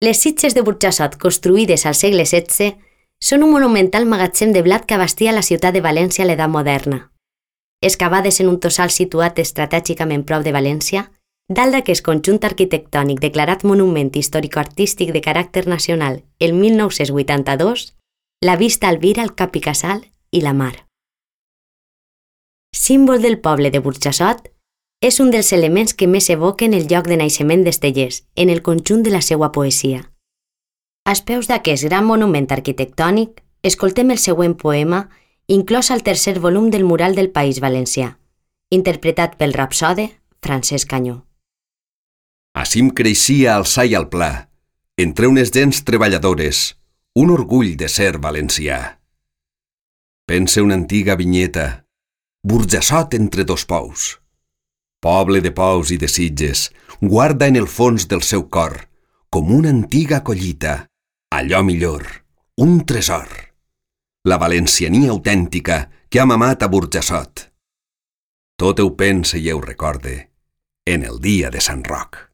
Les sitges de Burjassot, construïdes al segle XVI, són un monumental magatzem de blat que abastia la ciutat de València a l'edat moderna. Excavades en un tossal situat estratègicament prop de València, dalt d'aquest conjunt arquitectònic declarat Monument Històrico-Artístic de caràcter nacional el 1982, la vista albira el Cap i Casal i la mar. Símbol del poble de Burjassot, és un dels elements que més evoquen el lloc de naixement d'Estellés en el conjunt de la seva poesia. Als peus d'aquest gran monument arquitectònic, escoltem el següent poema inclòs al tercer volum del Mural del País Valencià, interpretat pel rapsode Francesc Canyó. Acim creixia al sa i al pla, entre unes gens treballadores, un orgull de ser valencià. Pense una antiga vinyeta, Burjassot entre dos pous. Poble de pous i de sitges, guarda en el fons del seu cor, com una antiga collita, allò millor, un tresor. La valenciania autèntica que ha mamat a Burjassot. Tot ho pense i ho recorde en el dia de Sant Roc.